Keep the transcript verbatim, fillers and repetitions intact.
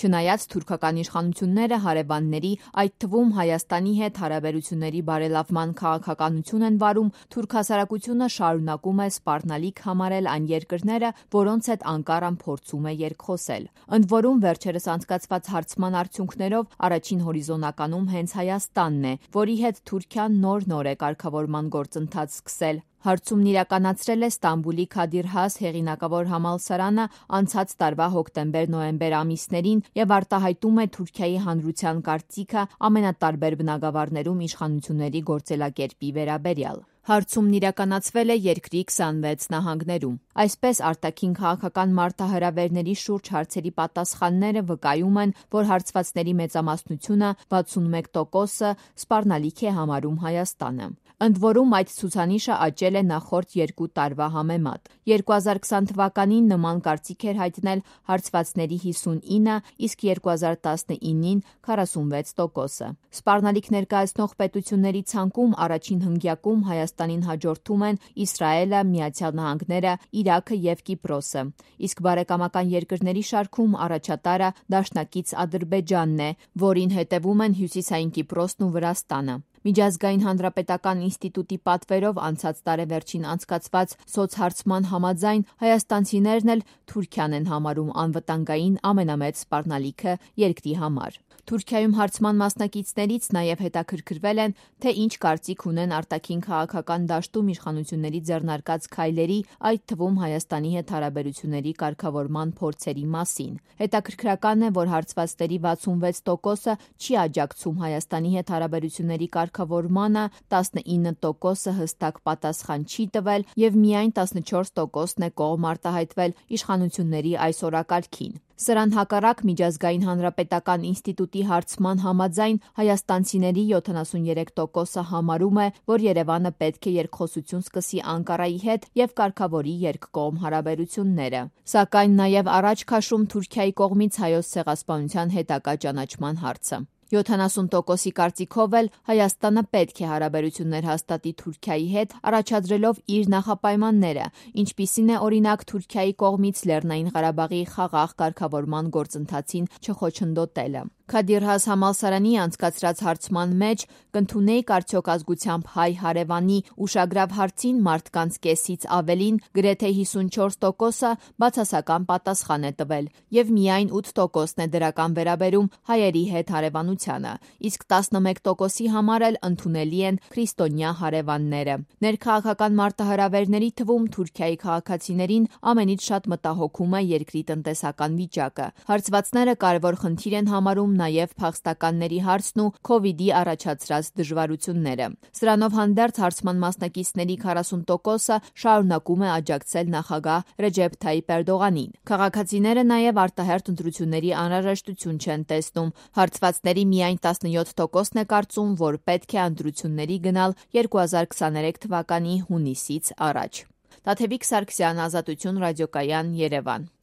Չնայած թուրքական իշխանությունները հարևանների, այդ թվում Հայաստանի հետ հարաբերությունների բարելավման քաղաքականություն են վարում, թուրք հասարակությունը շարունակում է սպառնալիք համարել այն երկրները, որոնց հետ Անկարան փորձում է երկխոսել։ Ընդ որում, վերջերս անցկացված հարցման արդյունքներով առաջին հորիզոնականում հենց Հայաստանն է, որի հետ Թուրքիան նոր-նոր է կարգավորման գործընթաց սկսել։ Հարցումն իրականացրել է Ստամբուլի Քադիր Has հեղինակավոր համալսարանը անցած տարվա հոկտեմբեր-նոյեմբեր ամիսներին եւ արտահայտում է Թուրքիայի հանրության կարծիքը ամենատարբեր բնագավառներում իշխանությունների գործելակերպի վերաբերյալ։ Հարցումն իրականացվել է երկրի քսանվեց նահանգներում։ Այսպես, արտաքին քաղաքական մարտահրավերների շուրջ հարցերի պատասխանները վկայում են, որ հարցվածների մեծամասնությունը վաթսունմեկ տոկոսը սպառնալիք է համարում Հայաստանը։ Ընդ որում, այդ ցուցանիշը աճել է նախորդ երկու տարվա համեմատ։ երկու հազար քսան թվականին նման կարծիք էր հայտնել հարցվածների հիսունինը, իսկ երկու հազար տասնինին քառասունվեց տոկոսը։ Սպառնալիք ներկայացնող պետությունների ցանկում առաջին հնգյակում Հայաստանին հաջորդում են Իսրայելը, Միացյալ Նահանգները, Իրաքը եւ Կիպրոսը, իսկ բարեկամական երկրների շարքում առաջատարը դաշնակից Ադրբեջանն է, որին հետևում են Հյուսիսային Կիպրոսն ու Վրաստանը։ Միջազգային հանրապետական ինստիտուտի պատվերով անցած տարեվերջին անցկացված սոցհարցման համաձայն հայաստանցիներն էլ Թուրքիան են համարում անվտանգային ամենամեծ սպառնալիքը երկրի համար։ Թուրքիայում հարցման մասնակիցներից նաև հետաքրքրվել են, թե ինչ կարծիք ունեն արտաքին քաղաքական դաշտում իշխանությունների ձեռնարկած քայլերի, այդ թվում Հայաստանի հետ հարաբերությունների կարգավորման փորձերի մասին։ Հետաքրքրական է, որ հարցվածների վաթսունվեց տոկոսը չի աջակցում Հայաստանի հետ հարաբերությունների կարգավորմանը, տասնինը տոկոսը հստակ պատասխան չի տվել եւ միայն տասնչորս տոկոսն է կողմ արտահայտվել իշխանությունների այս օրակարգին։ Սրան հակառակ Միջազգային հանրապետական ինստիտուտի հարցման համաձայն հայաստանցիների յոթանասուներեք տոկոսը համարում է, որ Երևանը պետք է երկխոսություն սկսի Անկարայի հետ եւ կարգավորի երկկողմ հարաբերությունները։ Սակայն նաեւ առաջ քաշում Թուրքիայի կողմից Հայոց ցեղասպանության հետագա ճանաչման հարցը։ յոթանասուն տոկոսի կարծիքով էլ Հայաստանը պետք է հարաբերություններ հաստատի Թուրքիայի հետ, առաջադրելով իր նախապայմանները, ինչպիսին է օրինակ Թուրքիայի կողմից Լեռնային Ղարաբաղի խաղաղ կարգավորման գործընթացին չխոչընդոտելը։ Քադիր Has համալսարանի անցկացրած հարցման մեջ կընդունեիք արդյոք ազգությամբ հայ հարևանի ուշագրավ հարցին մարդկանց կեսից ավելին, գրեթե հիսունչորս տոկոսը բացասական պատասխան է տվել, եւ միայն ութ տոկոսն է դրական վերաբերում հայերի հետ հարևանությանը, իսկ տասնմեկ տոկոսի համար էլ ընդունելի են քրիստոնյա հարևանները։ Ներքաղաքական մարտահրավերների թվում Թուրքիայի քաղաքացիներին ամենից շատ մտահոգում է երկրի տնտեսական վիճակը։ Հարցվածները կարևոր խնդիր են համարում նաև փախստականների հարցն ու Քովիդի առաջացրած դժվարությունները։ Սրանով հանդերձ հարցման մասնակիցների քառասուն տոկոսը շարունակում է աջակցել նախագահ Ռեջեփ Թայիփ Էրդողանին։ Քաղաքացիները նաև արտահերթ ընտրությունների անհրաժեշտություն չեն տեսնում։ Հարցվածների միայն տասնյոթ տոկոսն է կարծում, որ պետք է ընտրությունների գնալ երկու հազար քսաներեք թվականի հունիսից առաջ։ Տաթևիկ Սարգսյան, Ազատություն ռադիոկայան, Երևան։